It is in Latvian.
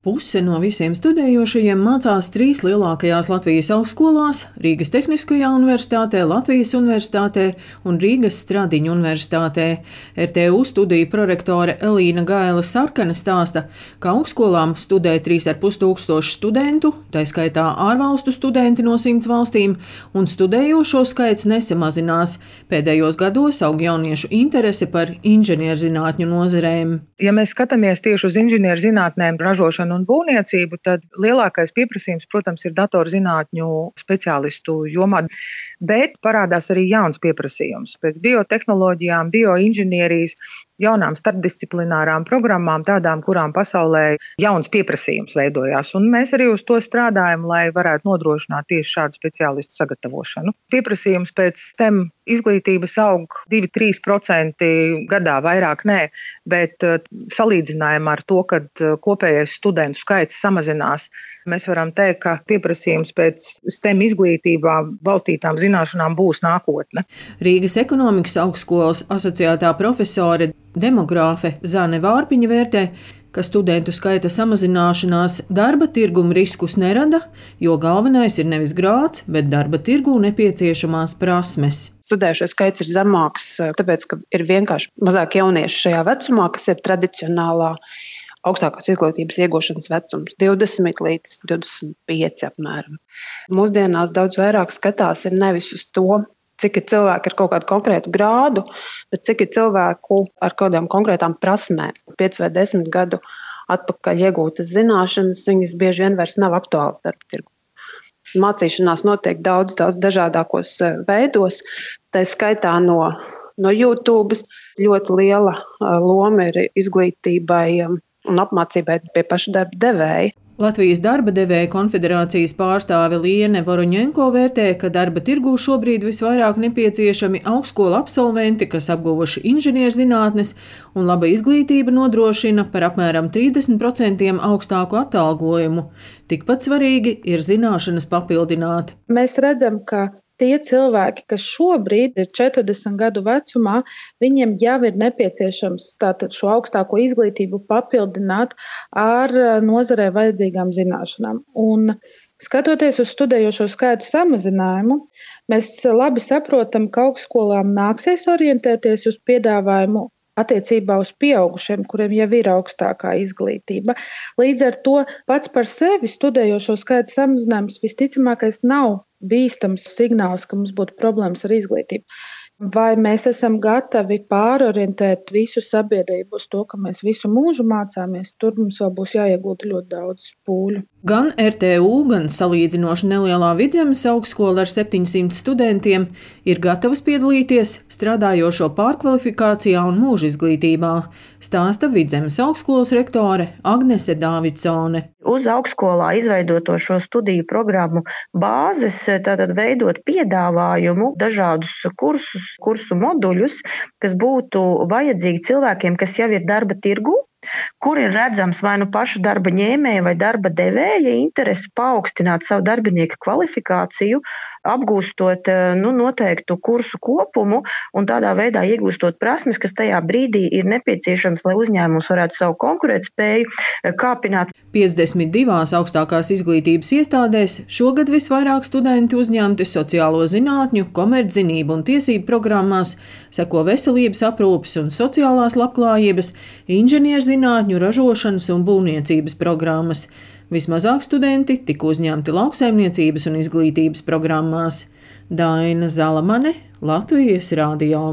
Puse no visiem studējošajiem mācās trīs lielākajās Latvijas augstskolās – Rīgas Tehniskajā universitātē, Latvijas universitātē un Rīgas Stradiņu universitātē. RTU studiju prorektore Elīna Gaila Sarkane stāsta, ka augstskolām studē 3,5 tūkstoši studentu, tai skaitā ārvalstu studenti no 100 valstīm, un studējošo skaits nesamazinās. Pēdējos gados aug jauniešu interese par inženierzinātņu nozarēm. Ja mēs skatāmies tieši uz inženierzinātnēm, ražošanu un būvniecību, tad lielākais pieprasījums, protams, ir datorzinātņu speciālistu jomā, bet parādās arī jauns pieprasījums pēc biotehnoloģijām, bioinženierijas, jaunām starpdisciplinārām programmām, tādām, kurām pasaulē jauns pieprasījums veidojās. Un mēs arī uz to strādājam, lai varētu nodrošināt tieši šādu speciālistu sagatavošanu. Pieprasījums pēc STEM izglītības aug 2–3% gadā, vairāk nē, bet salīdzinājumā ar to, kad kopējais studentu skaits samazinās, mēs varam teikt, ka pieprasījums pēc STEM izglītībā balstītām zināšanām būs nākotne. Rīgas ekonomikas augstskolas asociētā profesore demogrāfe Zane Vārpiņa vērtē, ka studentu skaita samazināšanās darba tirguma riskus nerada, jo galvenais ir nevis grāds, bet darba tirgū nepieciešamās prasmes. Studējušo skaits ir zemāks, tāpēc, ka ir vienkārši mazāk jauniešu šajā vecumā, kas ir tradicionālā augstākās izglītības iegūšanas vecums, 20 līdz 25 apmēram. Mūsdienās daudz vairāk skatās ir nevis uz to, cik ir cilvēki ar kaut kādu konkrētu grādu, bet cik ir cilvēku ar kādām konkrētām prasmēm. 5 vai 10 gadu atpakaļ iegūtas zināšanas, viņas bieži vien vairs nav aktuālas darba tirgu. Mācīšanās notiek daudz dažādākos veidos, tā skaitā no YouTube. Ļoti liela loma ir izglītībai un apmācībai pie paša darba devēja. Latvijas darba devēja konfederācijas pārstāve Liene Voroņenko vērtē, ka darba tirgū šobrīd visvairāk nepieciešami augstskolu absolventi, kas apguvuši inženierzinātnes, un laba izglītība nodrošina par apmēram 30% augstāku atalgojumu. Tikpat svarīgi ir zināšanas papildināt. Mēs redzam, ka tie cilvēki, kas šobrīd ir 40 gadu vecumā, viņiem jau ir nepieciešams tātad šo augstāko izglītību papildināt ar nozarē vajadzīgām zināšanām. Un skatoties uz studējošo skaitu samazinājumu, mēs labi saprotam, ka augstskolām nāksies orientēties uz piedāvājumu attiecībā uz pieaugušiem, kuriem jau ir augstākā izglītība. Līdz ar to pats par sevi studējošo skaitu samazinājums visticamākais nav bīstams signāls, ka mums būtu problēmas ar izglītību. Vai mēs esam gatavi pārorientēt visu sabiedrību uz to, ka mēs visu mūžu mācāmies, tur mums vēl būs jāiegulda ļoti daudz pūļu. Gan RTU, gan salīdzinoši nelielā Vidzemes augstskola ar 700 studentiem ir gatavas piedalīties strādājošo pārkvalifikācijā un mūža izglītībā, stāsta Vidzemes augstskolas rektore Agnese Dāvidsone. Uz augstskolā izveidoto šo studiju programmu bāzes, tātad veidot piedāvājumu, dažādus kursu moduļus, kas būtu vajadzīgi cilvēkiem, kas jau ir darba tirgū, kur ir redzams vai nu paša darba ņēmēja vai darba devēja interesi paaugstināt savu darbinieku kvalifikāciju, apgūstot noteiktu kursu kopumu un tādā veidā iegūstot prasmes, kas tajā brīdī ir nepieciešams, lai uzņēmums varētu savu konkurētspēju kāpināt. 52 augstākās izglītības iestādēs šogad visvairāk studenti uzņemti sociālo zinātņu, komerczinību un tiesību programmās, seko veselības aprūpes un sociālās labklājības, inženierzinātņu, ražošanas un būvniecības programmas. Vismazāk studenti tika uzņemti lauksaimniecības un izglītības programmās. Daina Zalamane, Latvijas radio.